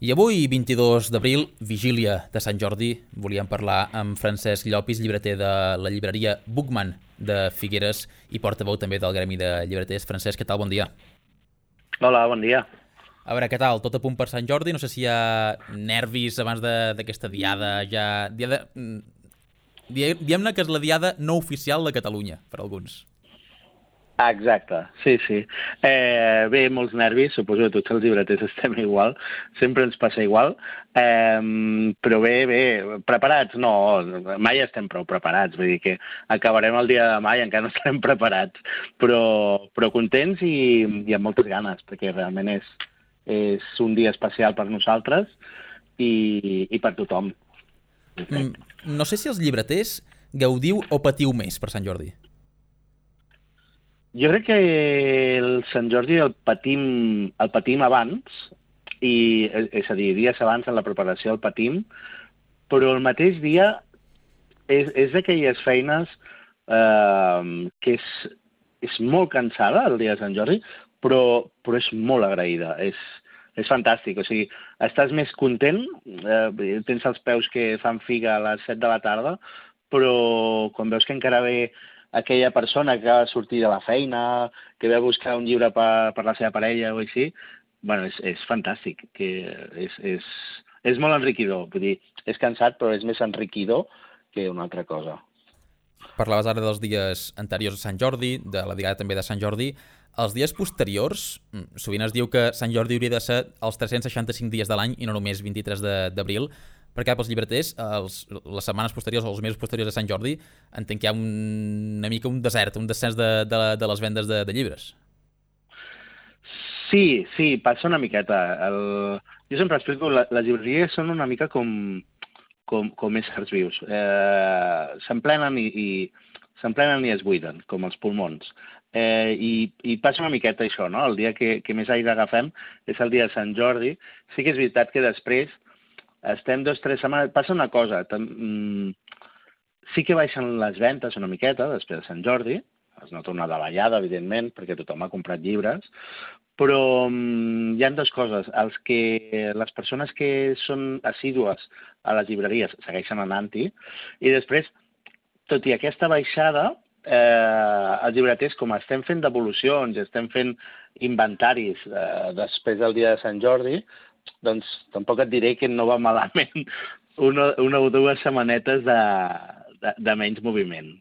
I avui, 22 d'abril, vigília de Sant Jordi, volíem parlar amb Francesc Llopis, llibreter de la llibreria Bookman de Figueres i portaveu també del Gremi de Llibreters. Francesc, què tal? Bon dia. Hola, bon dia. A veure, què tal? Tot a punt per Sant Jordi? No sé si hi ha nervis abans d'aquesta diada, diguem-ne que és la diada no oficial de Catalunya, per alguns. Exacte, sí, sí. Bé, molts nervis, suposo que tots els llibreters estem igual, sempre ens passa igual, però bé, preparats no, mai estem prou preparats, vull dir que acabarem el dia de demà i encara no estarem preparats, però contents i amb moltes ganes, perquè realment és un dia especial per nosaltres i per tothom. No sé si els llibreters gaudiu o patiu més per Sant Jordi. Jo crec que el Sant Jordi el patim abans, és a dir, dies abans en la preparació el patim, però el mateix dia és d'aquelles feines que és molt cansada el dia de Sant Jordi, però és molt agraïda, és fantàstic, o sigui, estàs més content, tens els peus que fan figa a les 7 de la tarda, però quan veus que encara ve aquella persona que acaba de sortir de la feina, que ve a buscar un llibre per la seva parella o així, bueno, és fantàstic, que és molt enriquidor, vull dir, és cansat però és més enriquidor que una altra cosa. Parlaves ara dels dies anteriors a Sant Jordi, de la diada també de Sant Jordi. Els dies posteriors, sovint es diu que Sant Jordi hauria de ser els 365 dies de l'any i no només 23 d'abril, perquè pels llibreters, les setmanes posteriors o els mesos posteriors a Sant Jordi, entenc que hi ha una mica un desert, un descens de les vendes de llibres. Sí, passa una miqueta. Jo sempre explico, les llibreries són una mica com éssers vius. S'emplenen i es buiden, com els pulmons. I passa una miqueta això, no? El dia que més aire agafem és el dia de Sant Jordi. Sí que és veritat que després estem 2 o 3 setmanes... Passa una cosa, sí que baixen les ventes una miqueta després de Sant Jordi, es nota una davallada, evidentment, perquè tothom ha comprat llibres, però hi ha 2 coses. Les persones que són assídues a les llibreries segueixen anant-hi, i després, tot i aquesta baixada, els llibreters, com estem fent devolucions, estem fent inventaris després del dia de Sant Jordi, doncs tampoc et diré que no va malament una o 2 setmanetes de menys moviment.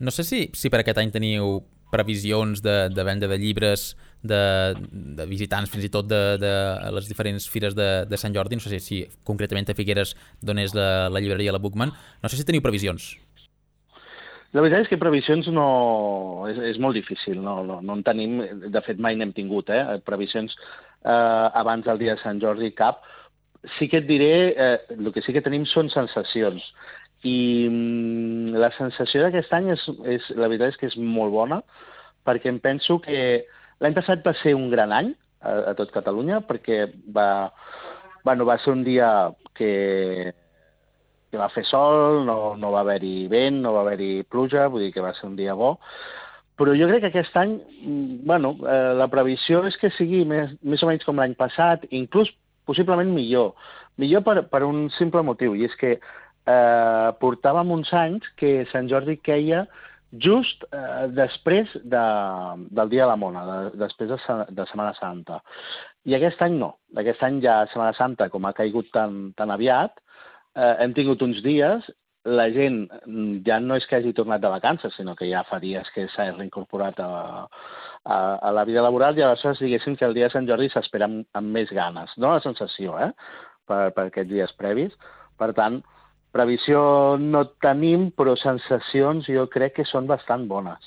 No sé si per aquest any teniu previsions de venda de llibres, de visitants, fins i tot de les diferents fires de Sant Jordi. No sé si concretament a Figueres, d'on és la llibreria, la Bookman. No sé si teniu previsions. La veritat és que previsions no... És molt difícil, no en tenim, de fet mai n'hem tingut, previsions abans del dia de Sant Jordi cap. Sí que et diré, el que sí que tenim són sensacions, i la sensació d'aquest any la veritat és que és molt bona, perquè em penso que l'any passat va ser un gran any a tot Catalunya, perquè va ser un dia que va fer sol, no va haver-hi vent, no va haver-hi pluja, vull dir que va ser un dia bo. Però jo crec que aquest any, la previsió és que sigui més o menys com l'any passat, inclús possiblement millor. Millor per un simple motiu, i és que portàvem uns anys que Sant Jordi queia just després del Dia de la Mona, després de Setmana Santa. I aquest any no. Aquest any ja Setmana Santa, com ha caigut tan aviat, hem tingut uns dies, la gent ja no és que hagi tornat de vacances, sinó que ja fa dies que s'ha reincorporat a la vida laboral, i aleshores diguéssim que el dia de Sant Jordi s'espera amb més ganes. No la sensació, per aquests dies previs. Per tant, previsió no tenim, però sensacions jo crec que són bastant bones.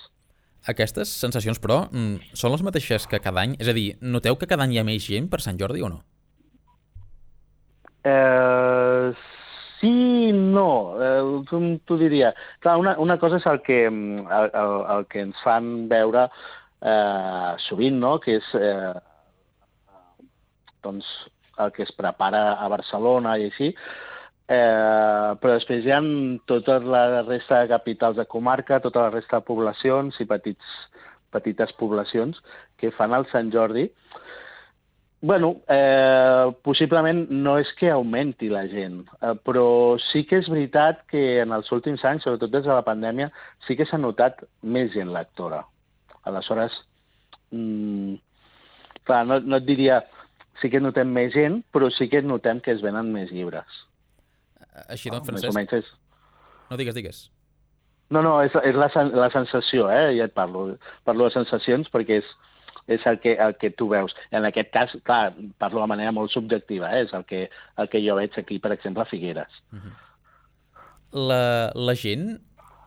Aquestes sensacions, però, són les mateixes que cada any? És a dir, noteu que cada any hi ha més gent per Sant Jordi o no? Sí, no, com t'ho diria. Clar, una cosa és el que ens fan veure sovint, no? Que és doncs, el que es prepara a Barcelona i així, però després hi ha tota la resta de capitals de comarca, tota la resta de poblacions i petites poblacions que fan el Sant Jordi. Bueno, possiblement no és que augmenti la gent, però sí que és veritat que en els últims anys, sobretot des de la pandèmia, sí que s'ha notat més gent lectora. Aleshores, mm, clar, no et diria sí que notem més gent, però sí que notem que es venen més llibres. Així doncs, Més o Francesc, menys és... no digues. No, és la sensació, ja et parlo. Parlo de sensacions perquè és el que tu veus. En aquest cas, clar, parlo de manera molt subjectiva, és el que jo veig aquí, per exemple, a Figueres. La gent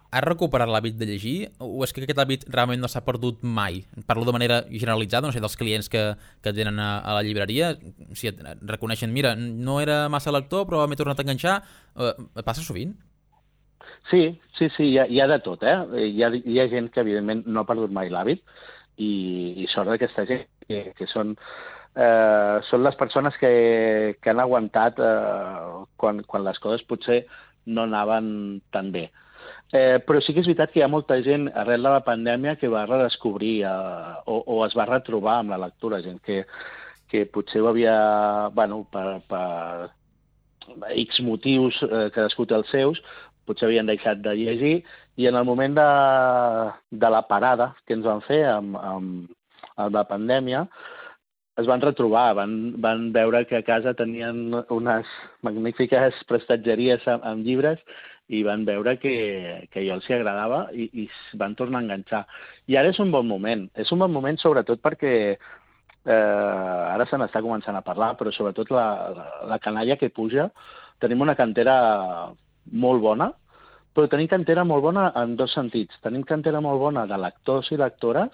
ha recuperat l'hàbit de llegir o és que aquest hàbit realment no s'ha perdut mai? Parlo de manera generalitzada, no sé, dels clients que tenen a la llibreria, si et reconeixen, mira, no era massa lector però m'he tornat a enganxar, passa sovint? Sí, hi ha de tot, hi ha gent que, evidentment, no ha perdut mai l'hàbit i sort d'aquesta gent, que són les persones que han aguantat quan les coses potser no anaven tan bé. Però sí que és veritat que hi ha molta gent arrel de la pandèmia que va redescobrir o es va retrobar amb la lectura, gent que potser ho havia, bueno, per X motius, cadascú té els seus, potser havien deixat de llegir, i en el moment de la parada que ens van fer amb la pandèmia, es van retrobar, van veure que a casa tenien unes magnífiques prestatgeries amb llibres i van veure que jo els hi agradava i van tornar a enganxar. I ara és un bon moment. És un bon moment sobretot perquè ara se n'està començant a parlar, però sobretot la canalla que puja, tenim una cantera molt bona, però tenim cantera molt bona en dos sentits. Tenim cantera molt bona de lectors i lectores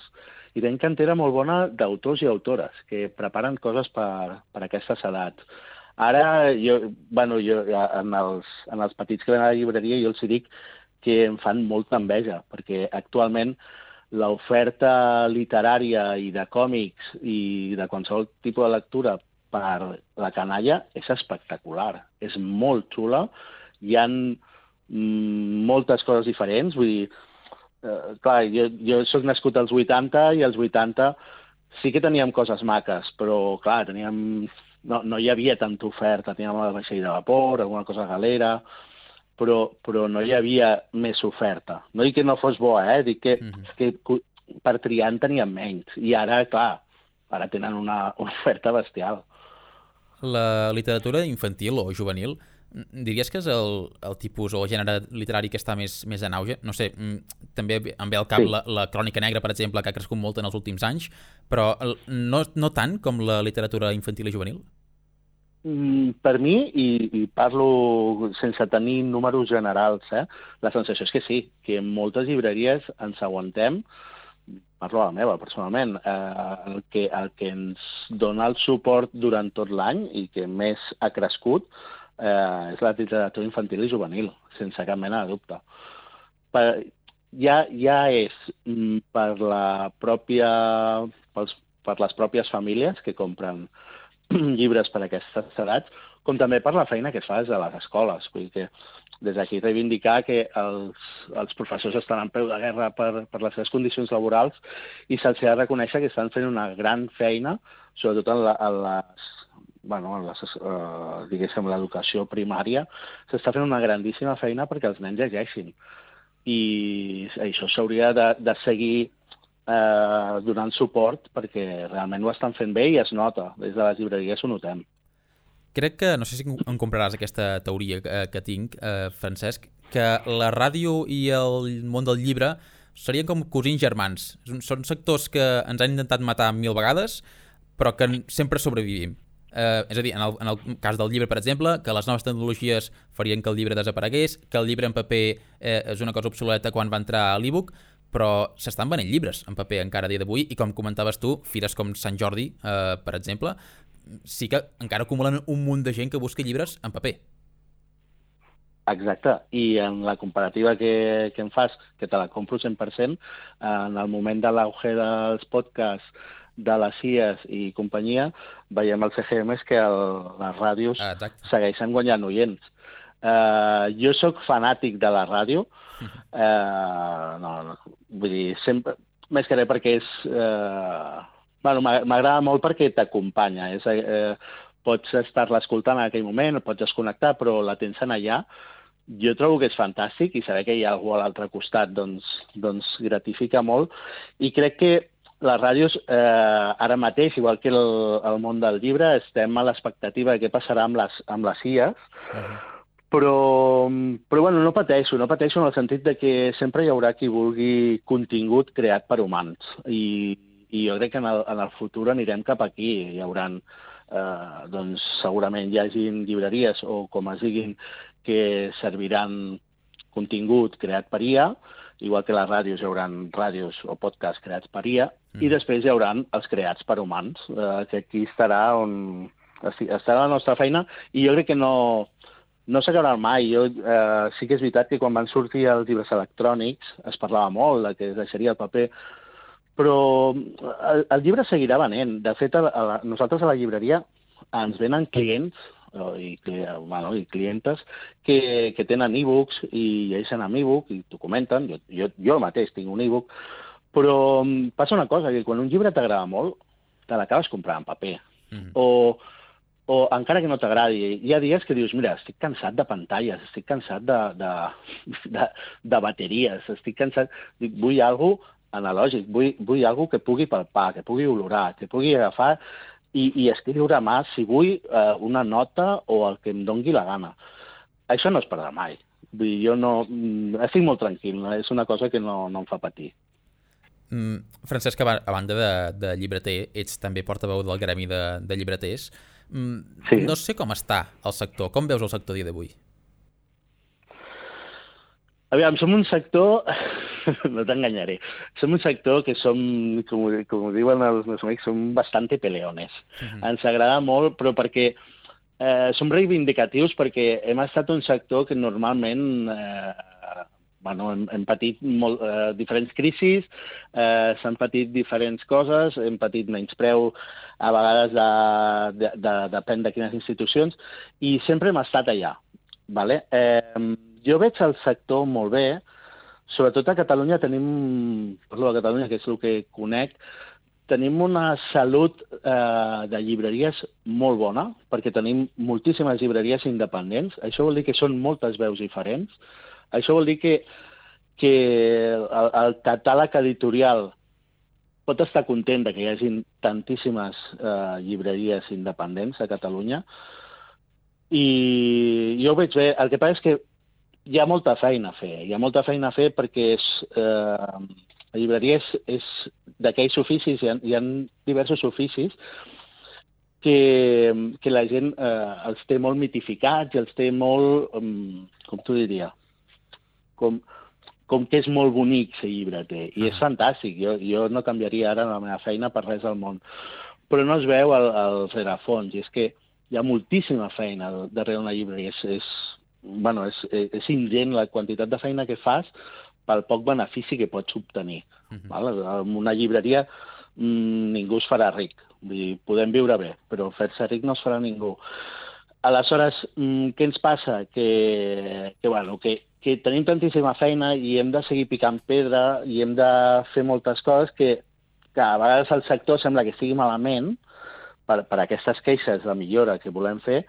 i tenim cantera molt bona d'autors i autores que preparen coses per aquestes edats. Ara, jo en els petits que venen a la llibreria, jo els dic que em fan molta enveja, perquè actualment l'oferta literària i de còmics i de qualsevol tipus de lectura per la canalla és espectacular, és molt xula, hi ha moltes coses diferents, vull dir, clar, jo soc nascut als 80 i als 80 sí que teníem coses maques, però clar, no hi havia tanta oferta, teníem el vaixell de vapor, alguna cosa galera, però no hi havia més oferta. No dic que no fos bo, dic que per triar en teníem menys. I ara, clar, ara tenen una oferta bestial. La literatura infantil o juvenil, diries que és el tipus o gènere literari que està més en auge? No sé, també em ve al cap la Crònica Negra, per exemple, que ha crescut molt en els últims anys, però no tant com la literatura infantil i juvenil? Per mi, i parlo sense tenir números generals, la sensació és que sí, que en moltes llibreries ens aguantem, parlo a la meva, personalment, el que ens dona el suport durant tot l'any i que més ha crescut és la literatura infantil i juvenil, sense cap mena de dubte. Ja és per les pròpies famílies que compren llibres per a aquestes edats, com també per la feina que es fa des de les escoles. Vull dir que des d'aquí reivindicar que els professors estan en peu de guerra per les seves condicions laborals i se'ls ha de reconèixer que estan fent una gran feina, sobretot diguéssim, l'educació primària, s'està fent una grandíssima feina perquè els nens llegeixin. I això s'hauria de seguir donant suport perquè realment ho estan fent bé i es nota. Des de les llibreries ho notem. Crec que, no sé si em compraràs aquesta teoria que tinc, Francesc, que la ràdio i el món del llibre serien com cosins germans. Són sectors que ens han intentat matar 1000 vegades, però que sempre sobrevivim. És a dir, en el cas del llibre, per exemple, que les noves tecnologies farien que el llibre desaparegués, que el llibre en paper és una cosa obsoleta quan va entrar a l'e-book, però s'estan venent llibres en paper encara a dia d'avui i com comentaves tu, fires com Sant Jordi, per exemple, sí que encara acumulen un munt de gent que busca llibres en paper. Exacte, i en la comparativa que em fas, que te la compro 100%, en el moment de l'auge dels podcasts, de les CIES i companyia, veiem als CGMs que les ràdios segueixen guanyant oients. Jo sóc fanàtic de la ràdio, vull dir, sempre, més que res perquè és Bueno, m'agrada molt perquè t'acompanya. Pots estar-la escoltant en aquell moment, pots desconnectar, però la tens en allà. Jo trobo que és fantàstic i saber que hi ha algú a l'altre costat doncs gratifica molt. I crec que les ràdios, ara mateix, igual que el món del llibre, estem a l'expectativa de què passarà amb les IAs, però bueno, no pateixo en el sentit de que sempre hi haurà qui vulgui contingut creat per humans. I jo crec que en el futur anirem cap aquí. Hi haurà, doncs, segurament hi hagin llibreries o com es diguin que serviran contingut creat per IA, igual que les ràdios hi haurà ràdios o podcasts creats per IA, i després hi haurà els creats per humans, que aquí estarà la nostra feina, i jo crec que no s'acabarà mai. Sí que és veritat que quan van sortir els llibres electrònics es parlava molt de que es deixaria el paper, però el llibre seguirà venent. De fet, nosaltres a la llibreria ens venen clients i clientes que tenen e-books i llegeixen amb e-book i t'ho comenten. Jo mateix tinc un e-book, però passa una cosa, que quan un llibre t'agrada molt, te l'acabes comprant en paper. O encara que no t'agradi, hi ha dies que dius, mira, estic cansat de pantalles, estic cansat de bateries, estic cansat... Vull alguna cosa analògic, vull alguna cosa que pugui palpar, que pugui olorar, que pugui agafar i escriure a mà, si vull, una nota o el que em dongui la gana. Això no es perdrà mai. Vull dir, jo no... Estic molt tranquil, és una cosa que no em fa patir. Francesc, a banda de llibreter, ets també portaveu del gremi de llibreters. Sí. No sé com està el sector. Com veus el sector dia d'avui? Aviam, som un sector... no t'enganyaré. Som un sector que som, com diuen els meus amics, som bastante peleones. Ens agrada molt, però perquè som reivindicatius, perquè hem estat un sector que normalment hem patit diferents crisis, s'han patit diferents coses, hem patit menyspreu a vegades depèn de quines institucions, i sempre hem estat allà. Vale? Jo veig el sector molt bé. Sobretot a Catalunya parlo de Catalunya, que és el que conec, tenim una salut de llibreries molt bona, perquè tenim moltíssimes llibreries independents. Això vol dir que són moltes veus diferents. Això vol dir que el catàleg editorial pot estar content que hi hagi tantíssimes llibreries independents a Catalunya. I jo ho veig bé. El que passa és que hi ha molta feina a fer. Hi ha molta feina a fer perquè la llibreria és d'aquells oficis, hi ha diversos oficis que la gent els té molt mitificats i els té molt, com t'ho diria, com que és molt bonic ser llibreter. I és fantàstic. Jo no canviaria ara la meva feina per res del món. Però no es veu el rerefons. I és que hi ha moltíssima feina darrere una llibreria. És ingent la quantitat de feina que fas pel poc benefici que pots obtenir. En una llibreria ningú es farà ric. Vull dir, podem viure bé, però fer-se ric no es farà ningú. Aleshores, què ens passa? Que tenim tantíssima feina i hem de seguir picant pedra i hem de fer moltes coses que a vegades el sector sembla que estigui malament per aquestes queixes de millora que volem fer,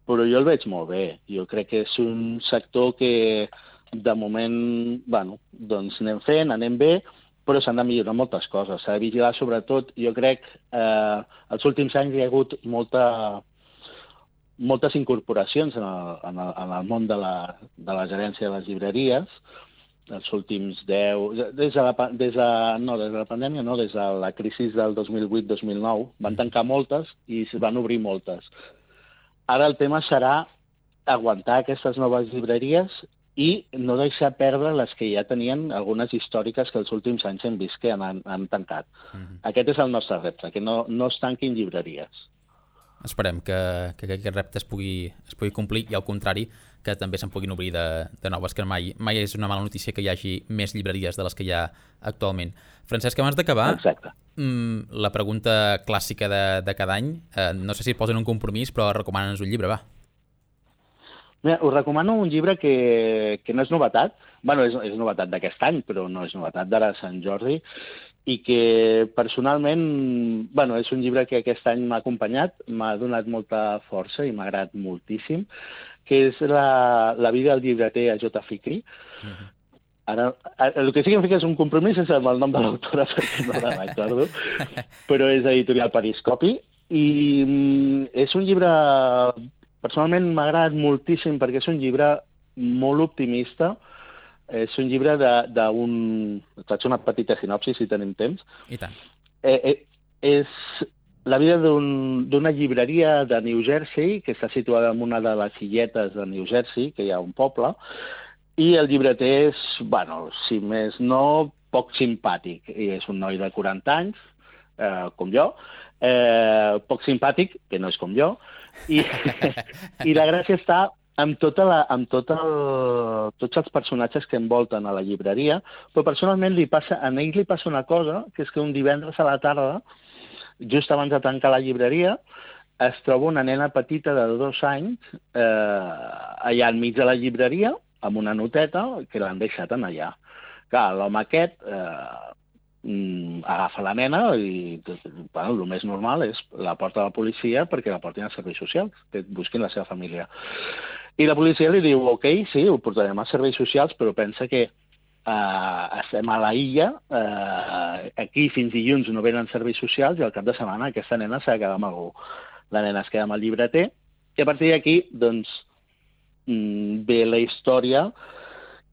però jo el veig molt bé. Jo crec que és un sector que, de moment, doncs anem fent, anem bé, però s'han de millorar moltes coses. S'ha de vigilar, sobretot, jo crec, els últims anys hi ha hagut moltes incorporacions en el món de la gerència de les llibreries, els últims 10... Des de la pandèmia, no, des de la crisi del 2008-2009, van tancar moltes i es van obrir moltes. Ara el tema serà aguantar aquestes noves llibreries i no deixar perdre les que ja tenien, algunes històriques que els últims anys hem vist que han tancat. Aquest és el nostre repte, que no es tanquin llibreries. Esperem que aquest repte es pugui complir i, al contrari, que també se'n puguin obrir de noves, que mai és una mala notícia que hi hagi més llibreries de les que hi ha actualment. Francesc, abans d'acabar, la pregunta clàssica de cada any, no sé si et posen un compromís, però recomana'ns un llibre, va. Mira, us recomano un llibre que no és novetat, és novetat d'aquest any, però no és novetat d'ara a Sant Jordi, i que personalment, bueno, és un llibre que aquest any m'ha acompanyat, m'ha donat molta força i m'ha agradat moltíssim, que és la vida del llibreter a J. Fikri. Ara, el que sí que em fica és un compromís és amb el nom de l'autora, perquè no la recordo, però és editorial Periscopi, i és un llibre, personalment m'ha agradat moltíssim perquè és un llibre molt optimista, és un llibre d'un... Faig una petita sinopsi, si tenim temps. I tant. És la vida d'una llibreria de New Jersey, que està situada en una de les illetes de New Jersey, que hi ha un poble, i el llibreter és, bueno, si més no, poc simpàtic. I és un noi de 40 anys, com jo, poc simpàtic, que no és com jo, i la gràcia està amb tots els personatges que envolten a la llibreria, però personalment a ell li passa una cosa, que és que un divendres a la tarda, just abans de tancar la llibreria, es troba una nena petita de 2 anys allà enmig de la llibreria, amb una noteta que l'han deixat en allà. Clar, l'home aquest agafa la nena i bueno, el més normal és la porta a la policia perquè la portin als serveis socials, que busquin la seva família. I la policia li diu, ok, sí, ho portarem als serveis socials, però pensa que estem a la illa, aquí fins dilluns no venen serveis socials i al cap de setmana aquesta nena s'ha de quedar amb algú. La nena es queda amb el llibreter i a partir d'aquí, doncs, ve la història,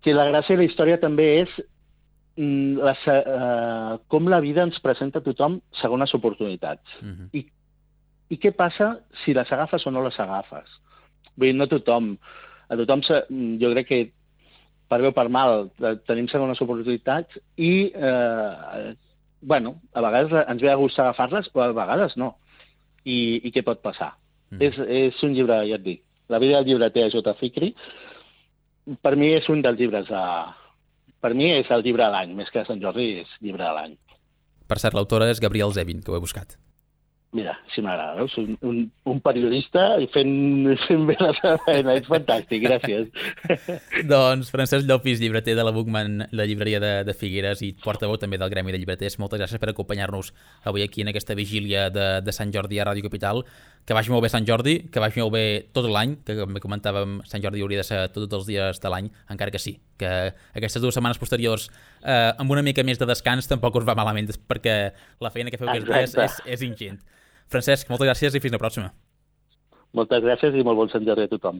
que la gràcia de la història també és com la vida ens presenta a tothom segones oportunitats. I què passa si les agafes o no les agafes? Vull dir, no tothom. A tothom, jo crec que per bé o per mal tenim segones oportunitats i, bueno, a vegades ens ve a gust agafar-les, però a vegades no. I què pot passar? És un llibre, ja et dic, La vida del llibreter a J. Fikri, per mi és un dels llibres per mi és el llibre de l'any, més que Sant Jordi és llibre de l'any. Per cert, l'autora és Gabriel Zevin, que ho he buscat. Mira, si m'agrada, veus? Un periodista i fent bé la seva feina, és fantàstic, gràcies. Doncs Francesc Llopis, llibreter de la Bookman, la llibreria de Figueres i portaveu també del Gremi de Llibreters, moltes gràcies per acompanyar-nos avui aquí en aquesta vigília de Sant Jordi a Ràdio Capital. Que vagi molt bé Sant Jordi, que vagi molt bé tot l'any, que com comentàvem, Sant Jordi hauria de ser tots els dies de l'any, encara que sí, que aquestes 2 setmanes posteriors amb una mica més de descans tampoc us va malament, perquè la feina que feu aquests dies és ingent. Francesc, moltes gràcies i fins la pròxima. Moltes gràcies i molt bon Sant Jordi a tothom.